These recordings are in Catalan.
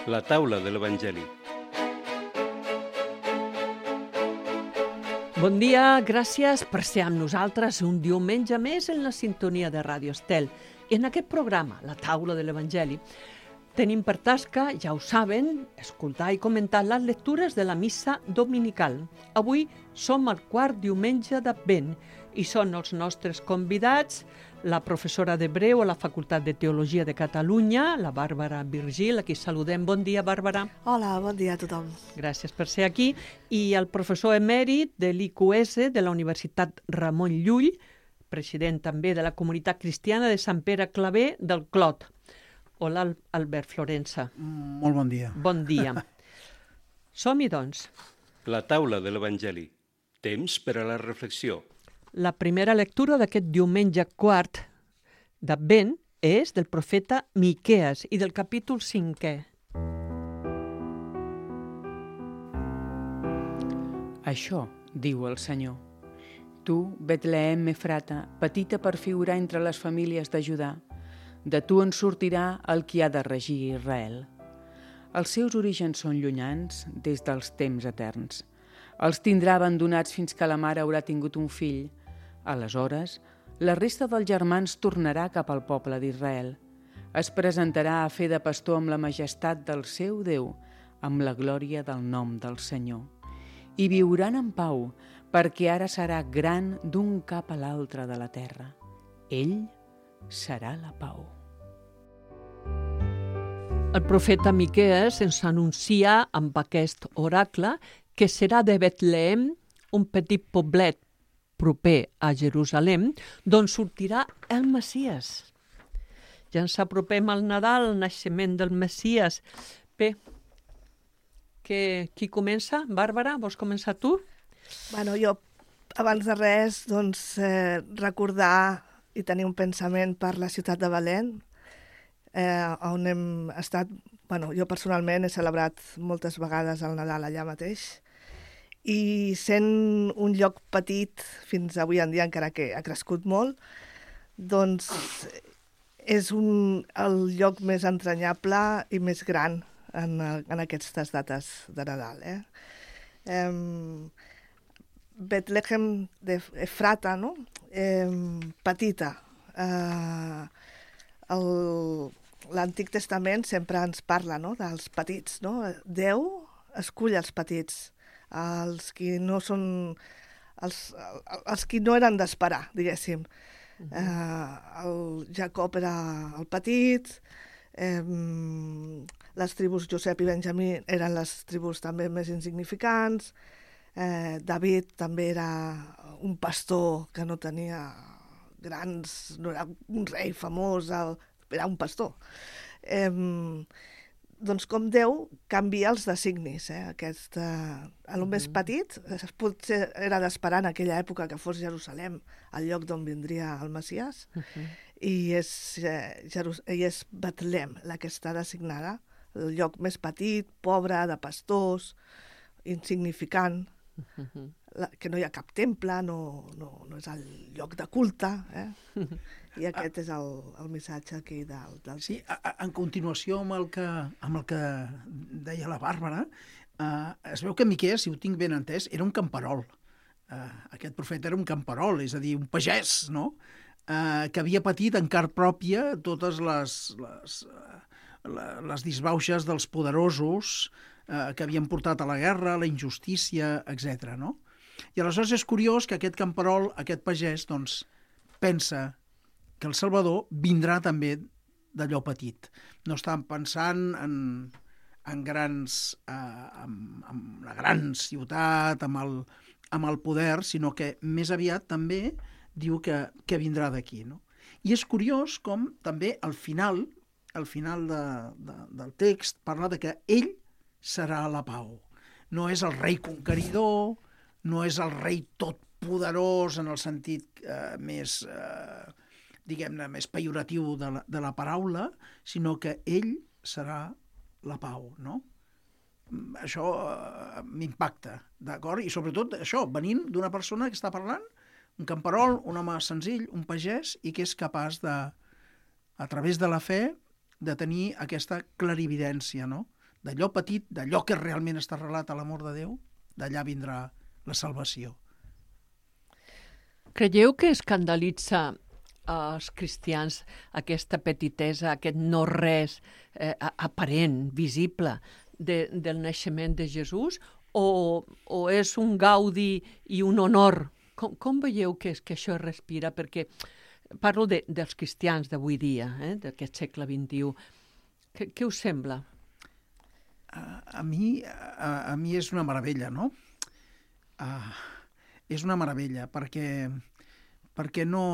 La taula de l'Evangeli. Bon dia, gràcies per ser amb nosaltres un diumenge més en la sintonia de Ràdio Estel. I en aquest programa, La taula de l'Evangeli, tenim per tasca, ja ho saben, escoltar i comentar les lectures de la missa dominical. Avui som al quart diumenge d'Advent i són els nostres convidats la professora d'Hebreu a la Facultat de Teologia de Catalunya, la Bàrbara Virgil, a qui saludem. Bon dia, Bàrbara. Hola, bon dia a tothom. Gràcies per ser aquí. I el professor emèrit de l'IQS de la Universitat Ramon Llull, president també de la Comunitat Cristiana de Sant Pere Claver del Clot. Hola, Albert Florença. Molt bon dia. Bon dia. Som-hi, doncs. La taula de l'Evangeli. Temps per a la reflexió. La primera lectura d'aquest diumenge quart d'Advent és del profeta Miquees i del capítol 5è. Això diu el Senyor. Tu, Betlehem Efrata, petita per figurar entre les famílies de Judà, de tu en sortirà el qui ha de regir Israel. Els seus orígens són llunyans des dels temps eterns. Els tindrà abandonats fins que la mare haurà tingut un fill. Aleshores, la resta dels germans tornarà cap al poble d'Israel. Es presentarà a fer de pastor amb la majestat del seu Déu, amb la glòria del nom del Senyor. I viuran en pau, perquè ara serà gran d'un cap a l'altre de la terra. Ell serà la pau. El profeta Miquees ens anuncia amb aquest oracle que serà de Betlehem, un petit poblet proper a Jerusalem, d'on sortirà el Messies. Ja ens apropem al Nadal, el naixement del Messies. Bé, qui comença? Bàrbara, vols començar tu? Bueno, jo, abans de res, recordar i tenir un pensament per la ciutat de Belén, on hem estat. Bueno, jo personalment he celebrat moltes vegades el Nadal allà mateix, i sent un lloc petit, fins avui en dia encara que ha crescut molt, doncs és el lloc més entranyable i més gran en aquestes dates de Nadal. Betlehem d'Efrata, no? Petita. L'Antic Testament sempre ens parla, no?, dels petits, no? Déu escull els petits, els qui no són els qui no eren d'esperar, diguéssim. El Jacob era el petit, les tribus Josep i Benjamí eren les tribus també més insignificants, David també era un pastor que no tenia no era un rei famós, era un pastor. Doncs com Déu canvia els designis. El més petit potser era d'esperar en aquella època que fos Jerusalem, el lloc d'on vindria el Messies, i és Betlem la que està designada, el lloc més petit, pobre, de pastors, insignificant, que no hi ha cap temple, no és el lloc de culte, i aquest és el missatge aquí del Sí, en continuació amb el que deia la Bàrbara, es veu que Miquees, si ho tinc ben entès, era un camperol. Aquest profeta era un camperol, és a dir, un pagès, no?, que havia patit en carn pròpia totes les disbauxes dels poderosos que havien portat a la guerra, la injustícia, etc. no? I aleshores és curiós que aquest camperol, aquest pagès, doncs, pensa que el Salvador vindrà també d'allò petit. No estan pensant en la gran ciutat, amb el poder, sinó que més aviat també diu que vindrà d'aquí, no? I és curiós com també al final del text parla de que ell serà la pau. No és el rei conqueridor, no és el rei totpoderós en el sentit més, diguem-ne, més pejoratiu de la paraula, sinó que ell serà la pau, no? Això m'impacta, d'acord? I sobretot això, venint d'una persona que està parlant, un camperol, un home senzill, un pagès, i que és capaç de, a través de la fe, de tenir aquesta clarividència, no?, d'allò petit, d'allò que realment està arrelat a l'amor de Déu, d'allà vindrà la salvació. Creieu que escandalitza als cristians aquesta petitesa, aquest no-res aparent, visible, del naixement de Jesús, o és un gaudi i un honor? Com veieu que això es respira? Perquè parlo dels cristians d'avui dia, d'aquest segle XXI. Què us sembla? A mi és una meravella, no? És una meravella, perquè no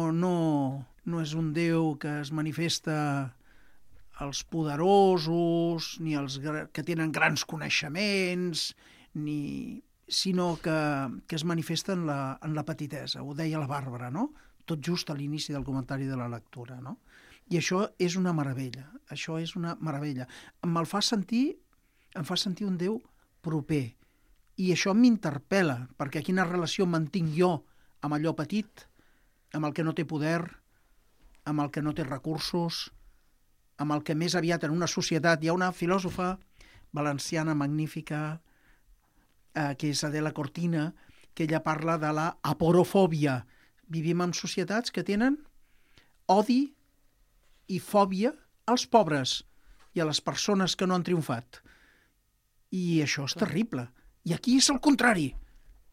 és un Déu que es manifesta als poderosos, ni als que tenen grans coneixements, sinó que es manifesta en la petitesa. Ho deia la Bàrbara, no? Tot just a l'inici del comentari de la lectura, no? I això és una meravella, això és una meravella. Em fa sentir un Déu proper, i això m'interpel·la, perquè quina relació mantinc jo amb allò petit, amb el que no té poder, amb el que no té recursos, amb el que més aviat en una societat... Hi ha una filòsofa valenciana magnífica, que és Adela Cortina, que ella parla de la aporofòbia. Vivim en societats que tenen odi i fòbia als pobres i a les persones que no han triomfat. I això és terrible. I aquí és el contrari.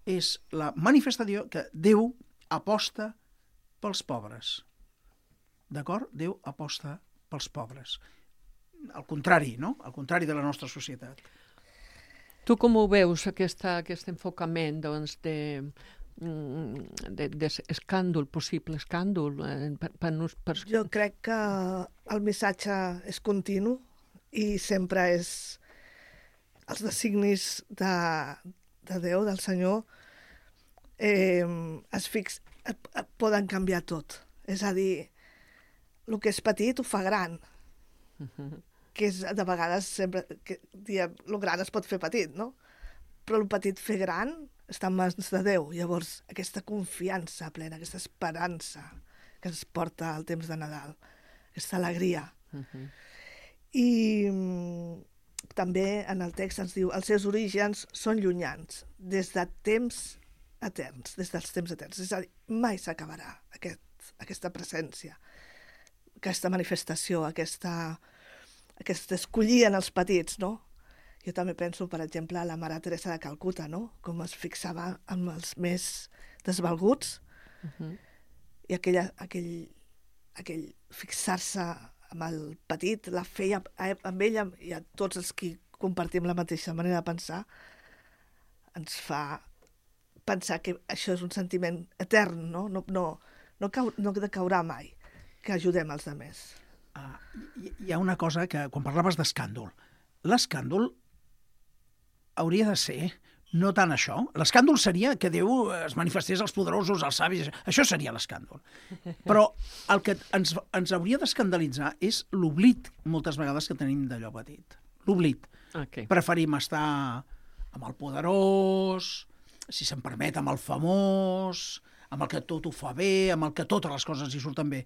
És la manifestació que Déu aposta pels pobres. D'acord? Déu aposta pels pobres. Al contrari, no? Al contrari de la nostra societat. Tu com ho veus, aquest enfocament d'escàndol, possible escàndol? Jo crec que el missatge és continu i sempre és els designis de Déu, del Senyor, poden canviar tot. És a dir, el que és petit ho fa gran. Que és, de vegades, sempre diem, el gran es pot fer petit, no? Però el petit fer gran està en mans de Déu. Llavors, aquesta confiança plena, aquesta esperança que ens porta al temps de Nadal, aquesta alegria. I també en el text ens diu els seus orígens són llunyans, des de temps eterns, des dels temps eterns. És a dir, mai s'acabarà aquesta presència, aquesta manifestació, aquesta escollir en els petits, no? Jo també penso, per exemple, a la Mare Teresa de Calcuta, no? Com es fixava amb els més desvalguts, i aquell fixar-se amb el petit la feia amb ella i a tots els que compartim la mateixa manera de pensar, ens fa pensar que això és un sentiment etern, no? No decaurà mai, que ajudem els altres. Hi ha una cosa que, quan parlaves d'escàndol, l'escàndol hauria de ser no tant això. L'escàndol seria que Déu es manifestés als poderosos, als savis, això seria l'escàndol. Però el que ens hauria d'escandalitzar és l'oblit, moltes vegades, que tenim d'allò petit. L'oblit. Okay. Preferim estar amb el poderós, si se'n permet, amb el famós, amb el que tot ho fa bé, amb el que totes les coses hi surten bé,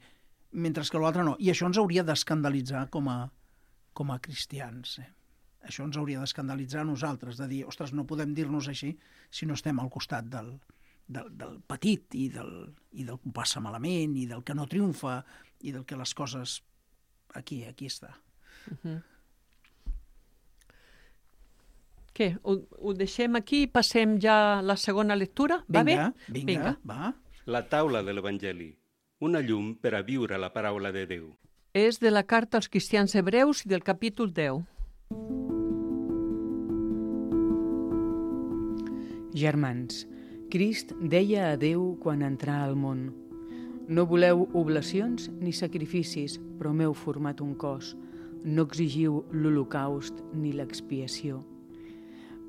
mentre que l'altre no. I això ens hauria d'escandalitzar com a cristians. Això ens hauria d'escandalitzar a nosaltres, de dir, ostres, no podem dir-nos així si no estem al costat del petit i del que ho passa malament i del que no triomfa i del que les coses... Aquí està. Què? Ho deixem aquí i passem ja a la segona lectura? Va bé? Vinga, va. La taula de l'Evangeli. Una llum per a viure la paraula de Déu. És de la carta als cristians hebreus i del capítol 10. Germans, Crist deia a Déu quan entrà al món: no voleu oblacions ni sacrificis, però m'heu format un cos. No exigiu l'holocaust ni l'expiació.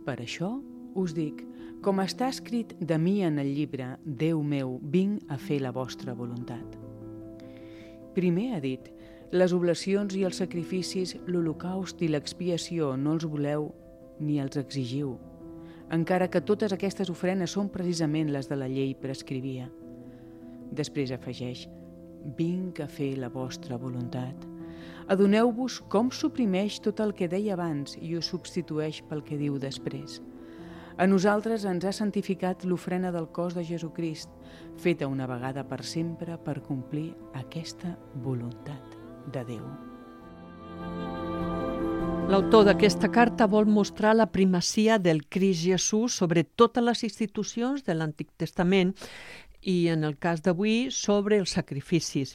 Per això us dic, com està escrit de mi en el llibre, Déu meu, vinc a fer la vostra voluntat. Primer ha dit, les oblacions i els sacrificis, l'holocaust i l'expiació no els voleu ni els exigiu, encara que totes aquestes ofrenes són precisament les de la llei prescrivia. Després afegeix, vinc a fer la vostra voluntat. Adoneu-vos com suprimeix tot el que deia abans i ho substitueix pel que diu després. A nosaltres ens ha santificat l'ofrena del cos de Jesucrist, feta una vegada per sempre per complir aquesta voluntat de Déu. L'autor d'aquesta carta vol mostrar la primacia del Crist Jesús sobre totes les institucions de l'Antic Testament i, en el cas d'avui, sobre els sacrificis.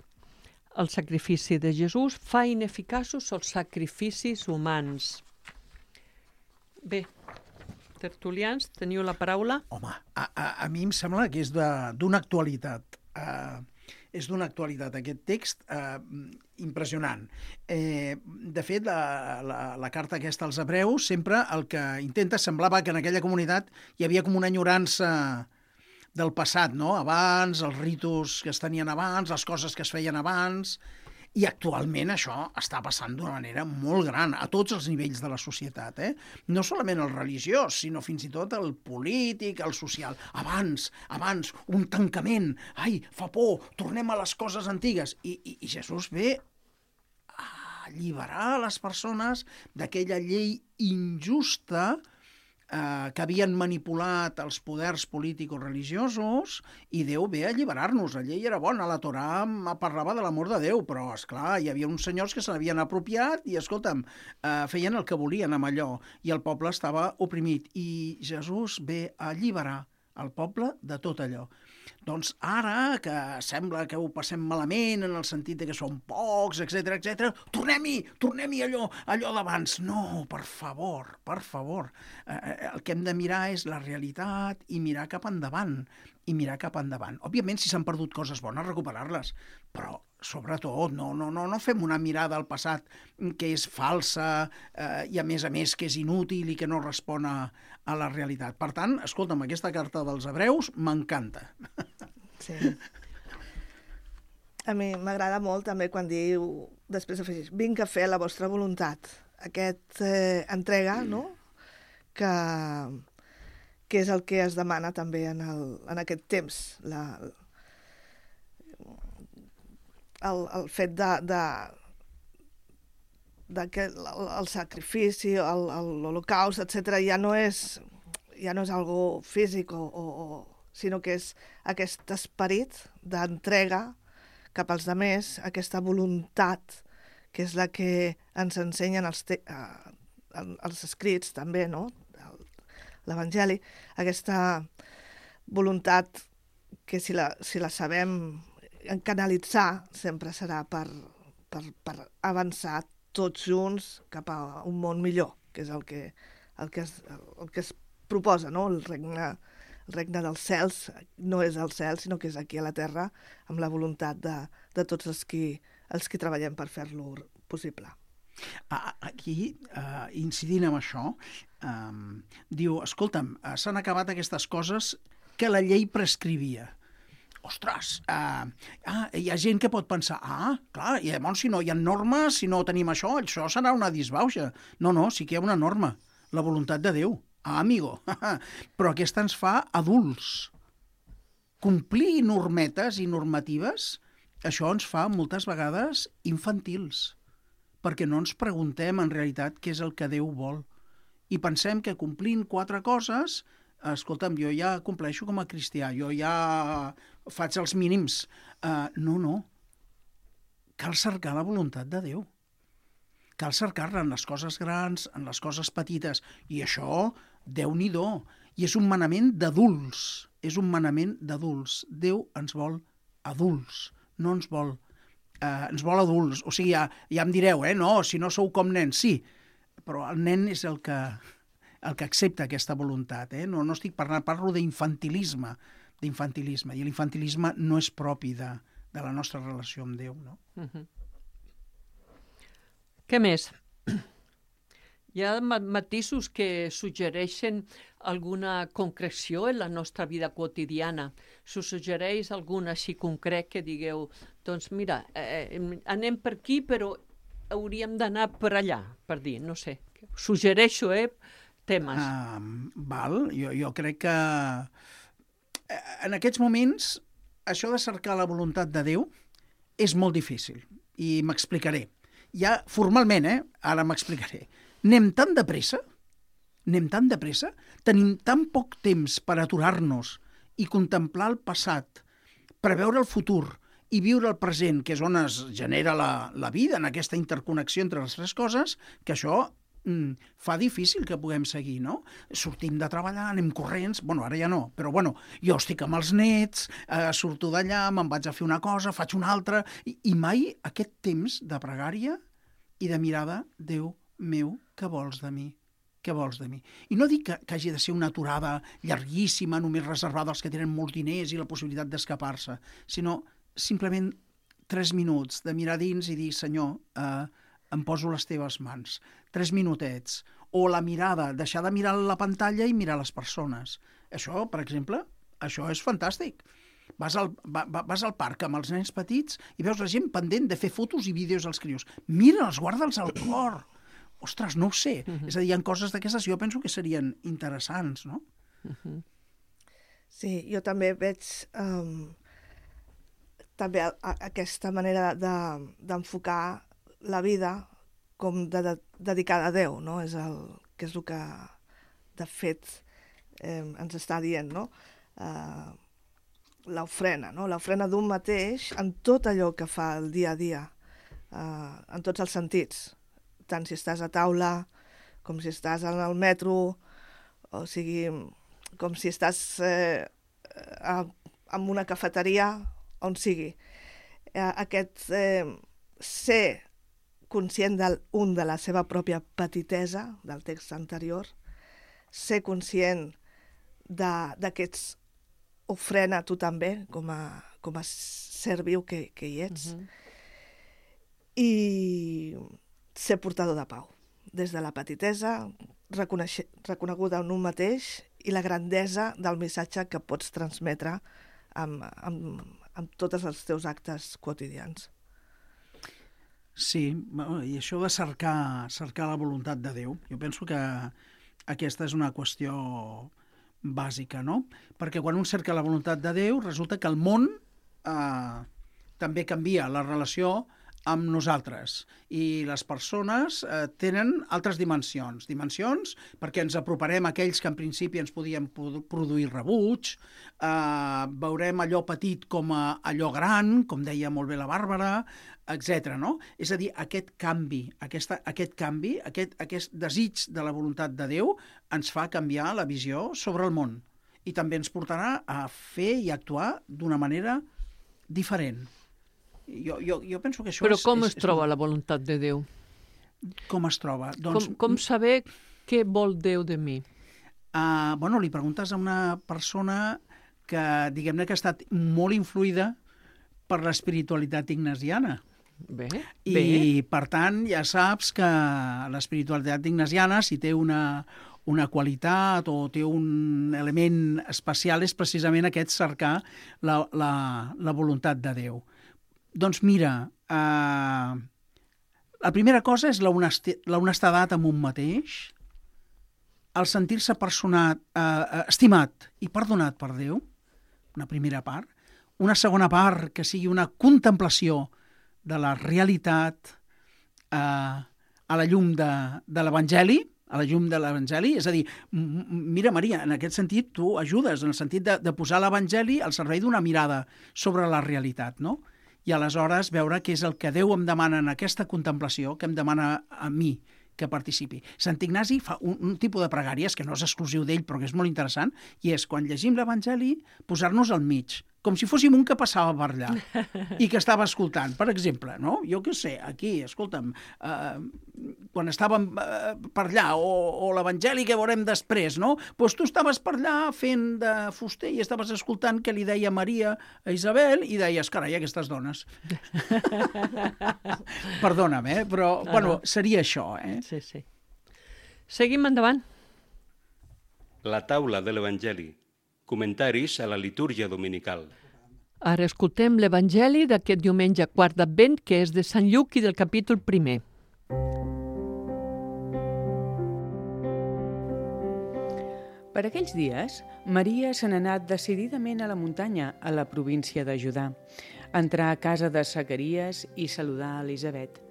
El sacrifici de Jesús fa ineficaços els sacrificis humans. Bé, tertulians, teniu la paraula? Home, a mi em sembla que és d'una actualitat. És d'una actualitat aquest text impressionant. De fet, la carta aquesta als hebreus sempre el que intenta semblava que en aquella comunitat hi havia com una enyorança del passat, no? Abans, els ritus que es tenien abans, les coses que es feien abans, i actualment això està passant d'una manera molt gran a tots els nivells de la societat, No solament el religiós, sinó fins i tot el polític, el social. Abans, un tancament. Ai, fa por, tornem a les coses antigues. I Jesús ve a alliberar les persones d'aquella llei injusta que havien manipulat els poders político-religiosos, i Déu ve a alliberar-nos. La llei era bona, la Torà parlava de l'amor de Déu, però, esclar, hi havia uns senyors que se n'havien apropiat i, escolta'm, feien el que volien amb allò, i el poble estava oprimit. I Jesús ve a alliberar el poble de tot allò. Doncs ara, que sembla que ho passem malament en el sentit de que som pocs, etc, tornem-hi allò d'abans. No, per favor. El que hem de mirar és la realitat i mirar cap endavant. Òbviament, si s'han perdut coses bones, recuperar-les, però sobretot no fem una mirada al passat que és falsa i a més que és inútil i que no respon a la realitat. Per tant, escolta'm, aquesta carta dels hebreus m'encanta. Sí. A mi m'agrada molt també quan diu, després afegeix, vinc a fer la vostra voluntat. Aquest entrega, no?, que és el que es demana també en aquest temps. El fet que el sacrifici, l'holocaust, etc., ja no és algo físic, sinó que és aquest esperit d'entrega cap als altres, aquesta voluntat, que és la que ens ensenyen els escrits també, no?, l'Evangeli, aquesta voluntat que si la sabem canalitzar sempre serà per avançar tots junts cap a un món millor, que és el que es proposa, no? El regne dels cels no és al cel, sinó que és aquí a la terra, amb la voluntat de tots els qui treballem per fer-lo possible. Aquí, incidint en això, diu, escolta'm, s'han acabat aquestes coses que la llei prescrivia. Ostres, hi ha gent que pot pensar, clar, i llavors si no hi ha normes, si no tenim això serà una disbauxa. No, sí que hi ha una norma, la voluntat de Déu. Amigo, però aquesta ens fa adults. Complir normetes i normatives, això ens fa moltes vegades infantils, perquè no ens preguntem en realitat què és el que Déu vol. I pensem que complint 4 coses, escolta'm, jo ja compleixo com a cristià, jo ja faig els mínims. No. Cal cercar la voluntat de Déu. Cal cercar-la en les coses grans, en les coses petites. I això, Déu-n'hi-do. I és un manament d'adults. Déu ens vol adults, no ens vol adults. O sigui, ja em direu, no, si no sou com nens, sí, però el nen és el que accepta aquesta voluntat, No estic parlo d'infantilisme, i l'infantilisme no és propi de la nostra relació amb Déu, no? Què més? Hi ha matisos que suggereixen alguna concreció en la nostra vida quotidiana. S'us suggereix algun així concret que digueu, doncs mira, anem per aquí però hauríem d'anar per allà, per dir, no sé. Suggereixo, temes. Jo crec que en aquests moments això de cercar la voluntat de Déu és molt difícil i m'explicaré. ja formalment, ara m'explicaré, anem tan de pressa, tenim tan poc temps per aturar-nos i contemplar el passat, preveure el futur i viure el present, que és on es genera la vida, en aquesta interconnexió entre les tres coses, que això fa difícil que puguem seguir, no? Sortim de treballar, anem corrents, bueno, ara ja no, però bueno, jo estic amb els nets, surto d'allà, me'n vaig a fer una cosa, faig una altra, i mai aquest temps de pregària i de mirada, Déu meu, què vols de mi? Què vols de mi? I no dic que hagi de ser una aturada llarguíssima, només reservada als que tenen molts diners i la possibilitat d'escapar-se, sinó simplement 3 minuts de mirar dins i dir, Senyor, em poso les teves mans. 3 minutets. O la mirada, deixar de mirar la pantalla i mirar les persones. Això, per exemple, això és fantàstic. Vas al parc amb els nens petits i veus la gent pendent de fer fotos i vídeos als crios. Mira'ls, guarda'ls al cor. Ostres, no ho sé. És a dir, hi ha coses d'aquestes jo penso que serien interessants, no? Sí, jo també veig també aquesta manera d'enfocar la vida com dedicada a Déu, no? És el que de fet ens està dient, no? L'ofrena, no? L'ofrena d'un mateix en tot allò que fa el dia a dia, en tots els sentits, tant si estàs a taula, com si estàs en el metro, o sigui, com si estàs en una cafeteria, on sigui. Aquest ser conscient de la seva pròpia petitesa, del text anterior, ser conscient d'aquests ofrena tu també, com a ser viu que hi ets, i ser portador de pau, des de la petitesa, reconeguda en un mateix, i la grandesa del missatge que pots transmetre amb tots els teus actes quotidians. Sí, i això de cercar la voluntat de Déu, jo penso que aquesta és una qüestió bàsica, no? Perquè quan un cerca la voluntat de Déu, resulta que el món també canvia la relació amb nosaltres, i les persones tenen altres dimensions perquè ens aproparem a aquells que en principi ens podien produir rebuig, veurem allò petit com allò gran, com deia molt bé la Bàrbara, etc. No? És a dir, aquest canvi, aquest desig de la voluntat de Déu ens fa canviar la visió sobre el món i també ens portarà a fer i actuar d'una manera diferent. Jo penso que això Però com es troba la voluntat de Déu? Com es troba? Doncs, com saber què vol Déu de mi? Li preguntes a una persona que, diguem-ne, que ha estat molt influïda per l'espiritualitat ignasiana. Bé. Per tant, ja saps que l'espiritualitat ignasiana, si té una qualitat o té un element especial, és precisament aquest cercar la voluntat de Déu. Doncs mira, la primera cosa és l'honestedat amb un mateix, el sentir-se estimat i perdonat per Déu, una primera part. Una segona part que sigui una contemplació de la realitat a la llum de l'Evangeli, és a dir, mira, Maria, en aquest sentit tu ajudes, en el sentit de posar l'Evangeli al servei d'una mirada sobre la realitat, no? I aleshores veure què és el que Déu em demana en aquesta contemplació, que em demana a mi que participi. Sant Ignasi fa un tipus de pregàries, que no és exclusiu d'ell, però que és molt interessant, i és, quan llegim l'Evangeli, posar-nos al mig, com si fóssim un que passava per allà i que estava escoltant, per exemple, no? Jo què sé, aquí, escolta'm, quan estàvem per allà, o l'Evangeli que veurem després, no? Doncs tu estaves per allà fent de fuster i estaves escoltant què li deia Maria a Isabel i deies, carai, aquestes dones. Perdona'm, però, bueno, seria això, Sí, sí. Seguim endavant. La taula de l'Evangeli. Comentaris a la litúrgia dominical. Ara escoltem l'Evangeli d'aquest diumenge quart d'Advent, que és de Sant Lluc i del capítol 1. Per aquells dies, Maria se n'ha anat decididament a la muntanya, a la província de Judà, a entrar a casa de Zacaries i saludar a Elisabet.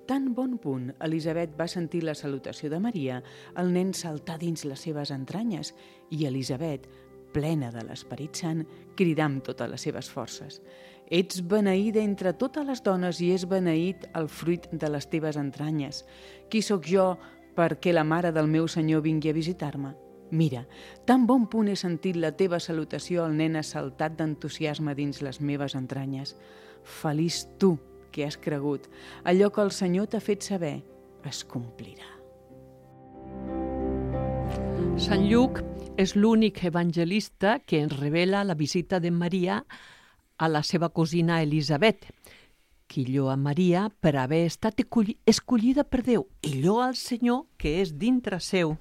Tan bon punt Elisabet va sentir la salutació de Maria, el nen saltà dins les seves entranyes i Elisabet, plena de l'Esperit Sant, cridà amb totes les seves forces: «Ets beneïda entre totes les dones i és beneït el fruit de les teves entranyes. Qui sóc jo perquè la mare del meu Senyor vingui a visitar-me? Mira, tan bon punt he sentit la teva salutació, el nen ha saltat d'entusiasme dins les meves entranyes. Feliç tu que has cregut. Allò que el Senyor t'ha fet saber es complirà». Sant Lluc és l'únic evangelista que ens revela la visita de Maria a la seva cosina Elisabet, qui lloa Maria per haver estat escollida per Déu i lloa al Senyor que és dintre seu.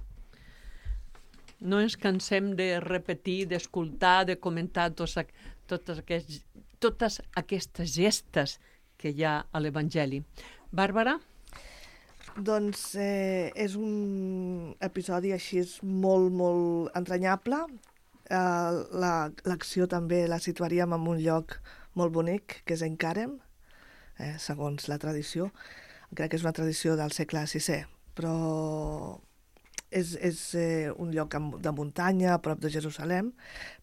No ens cansem de repetir, d'escoltar, de comentar totes aquestes gestes que hi ha a l'Evangeli. Bàrbara? Doncs és un episodi així molt, molt entranyable. L'acció també la situaríem en un lloc molt bonic, que és Encàrem, segons la tradició. Crec que és una tradició del segle VI, però és un lloc de muntanya, a prop de Jerusalem,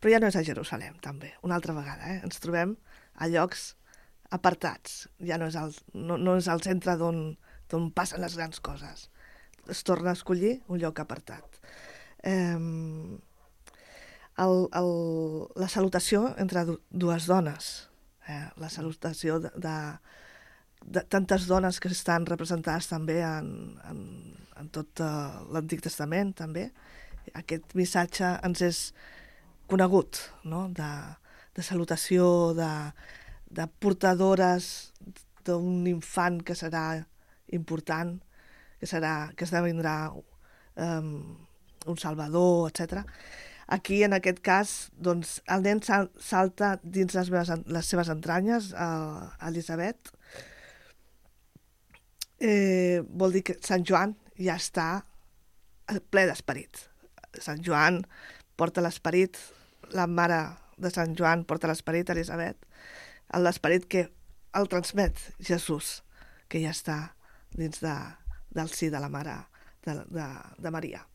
però ja no és a Jerusalem, també, una altra vegada. Ens trobem a llocs apartats, ja no és el centre d'on passen les grans coses. Es torna a escollir un lloc apartat. La salutació entre dues dones, la salutació de tantes dones que estan representades també en tot l'Antic Testament, també. Aquest missatge ens és conegut, no? De salutació, de portadores d'un infant que serà important, que esdevindrà un salvador, etc. Aquí, en aquest cas, doncs, el nen salta dins les seves entranyes, Elisabet. Vol dir que Sant Joan ja està ple d'esperit. Sant Joan porta l'esperit, la mare de Sant Joan porta l'esperit, Elisabet, l'esperit que el transmet Jesús, que ja està dins del si de la mare de Maria.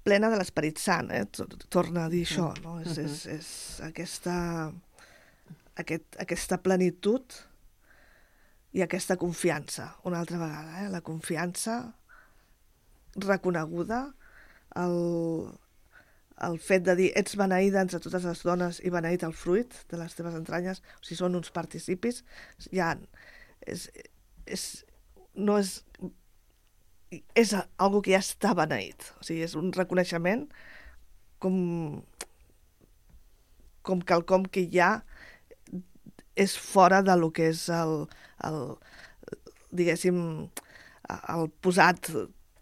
Plena de l'Esperit Sant, torna a dir això, no? És aquesta plenitud i aquesta confiança, una altra vegada, la confiança reconeguda, el fet de dir ets beneïda entre totes les dones i beneït el fruit de les teves entranyes, o sigui, són uns participis, ja és algo que ja està beneït, o sigui, és un reconeixement com quelcom que ja és fora de lo que és diguéssim, el posat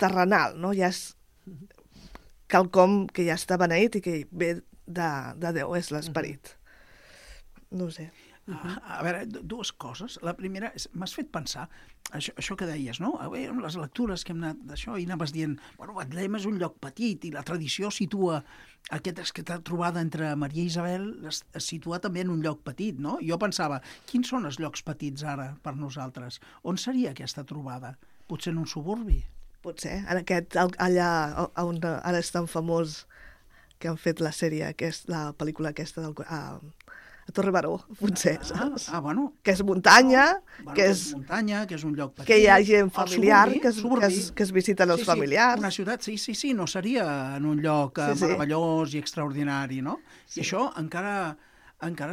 terrenal, no? Ja és quelcom que ja està beneït i que ve de Déu, és l'esperit. No ho sé. A veure, dues coses. La primera, m'has fet pensar, això que deies, no? Les lectures que hem anat d'això, i anaves dient, bueno, Betlem és un lloc petit, i la tradició situa aquesta trobada entre Maria i Isabel, es situa també en un lloc petit, no? Jo pensava, quins són els llocs petits ara per nosaltres? On seria aquesta trobada? Potser en un suburbi? Potser, allà on ara és tan famós que han fet la sèrie, la pel·lícula aquesta a Torre Baró, potser, saps? Bueno. Que és muntanya, que és un lloc petit. Que hi ha gent familiar, que es visiten els familiars. Una ciutat, sí, no seria en un lloc meravellós i extraordinari, no? I això encara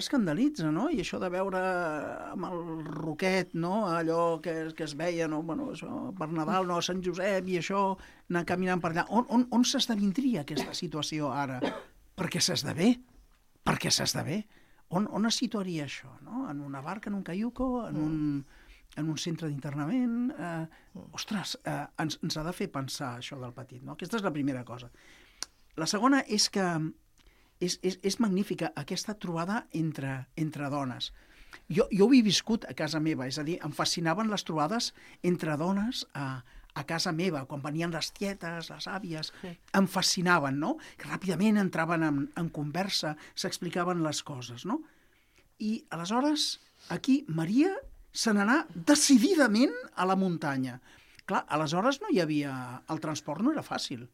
escandalitza, no? I això de veure amb el roquet, no? Allò que es veia, no? Bueno, això, per Nadal, no? A Sant Josep i això, anar caminant per allà. On s'esdevindria aquesta situació ara? Perquè s'esdevé. On es situaria això? No? En una barca, en un caiuco, en un centre d'internament? Ostres, ens ha de fer pensar això del petit, no? Aquesta és la primera cosa. La segona és que és magnífica aquesta trobada entre dones. Jo ho he viscut a casa meva, és a dir, em fascinaven les trobades entre dones a casa meva, quan venien les tietes, les àvies, em fascinaven, no? Que ràpidament entraven en conversa, s'explicaven les coses, no? I aleshores Aquí Maria se n'anà decididament a la muntanya. Clar, aleshores no hi havia... El transport no era fàcil.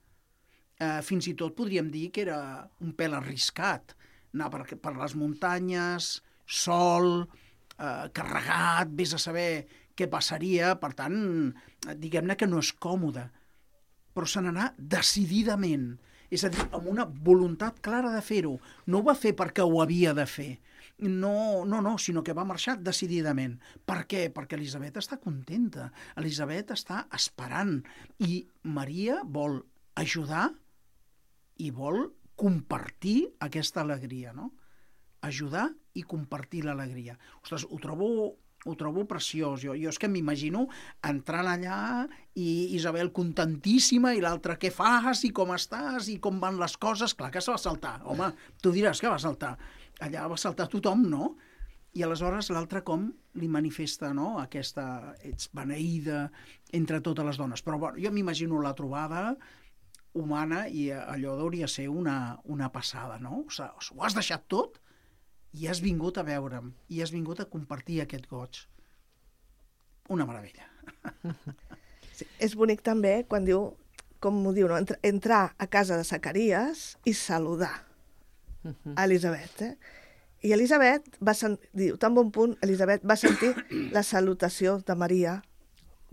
Fins i tot podríem dir que era un pèl arriscat. Anar per les muntanyes, sol, carregat, vés a saber què passaria. Per tant, diguem-ne que no és còmode. Però se n'anà decididament. És a dir, amb una voluntat clara de fer-ho. No ho va fer perquè ho havia de fer. No, sinó que va marxar decididament. Per què? Perquè Elisabet està contenta. Elisabet està esperant. I Maria vol ajudar i vol compartir aquesta alegria, no? Ajudar i compartir l'alegria. Ostres, ho trobo preciós. Jo és que m'imagino entrant allà i Isabel contentíssima i l'altra, què fas i com estàs i com van les coses? Clar que se va saltar. Home, tu diràs que va saltar. Allà va saltar tothom, no? I aleshores l'altra com li manifesta, no? Aquesta, ets beneïda entre totes les dones. Però bueno, jo m'imagino la trobada humana i allò hauria ser una passada, no? O sigui, ho has deixat tot i has vingut a veure'm, i has vingut a compartir aquest goig. Una meravella. Sí, és bonic també quan diu, com ho diu, no? Entrar a casa de Zacaries i saludar a Elisabet. I Elisabet diu, tan bon punt, Elisabet va sentir la salutació de Maria,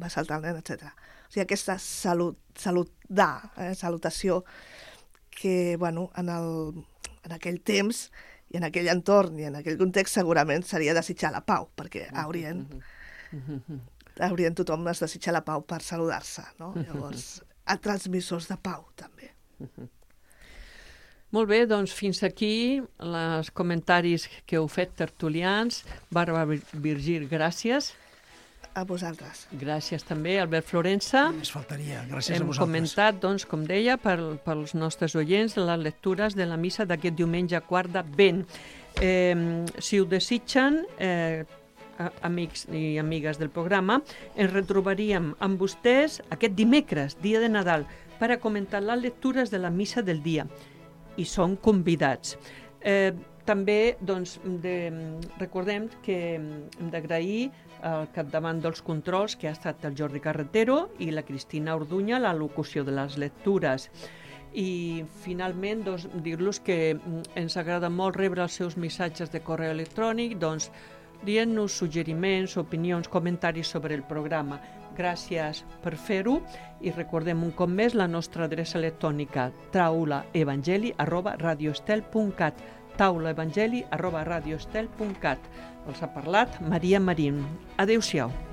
va saltar el nen, etc. O sigui, aquesta salutació que, bueno, en aquell temps i en aquell entorn i en aquell context segurament seria desitjar la pau, perquè haurien tothom es desitjar la pau per saludar-se, no? Llavors, a transmissors de pau, també. Molt bé, doncs fins aquí els comentaris que heu fet tertulians. Bàrbara Virgili, gràcies. A vosaltres. Gràcies també, Albert Florença. Només faltaria, gràcies a vosaltres. Hem comentat, doncs, com deia, pels nostres oients, les lectures de la missa d'aquest diumenge quart d'Advent. Si ho desitgen, amics i amigues del programa, ens retrobaríem amb vostès aquest dimecres, dia de Nadal, per a comentar les lectures de la missa del dia. I són convidats. També doncs, recordem que hem d'agrair al capdavant dels controls, que ha estat el Jordi Carretero, i la Cristina Orduña, la locució de les lectures. I finalment doncs, dir-los que ens agrada molt rebre els seus missatges de correu electrònic, doncs dient-nos suggeriments, opinions, comentaris sobre el programa. Gràcies per fer-ho i recordem un cop més la nostra adreça electrònica taulaevangeli@radioestel.cat taulaevangeli@radioestel.cat. Els ha parlat Maria Marín. Adéu-siau.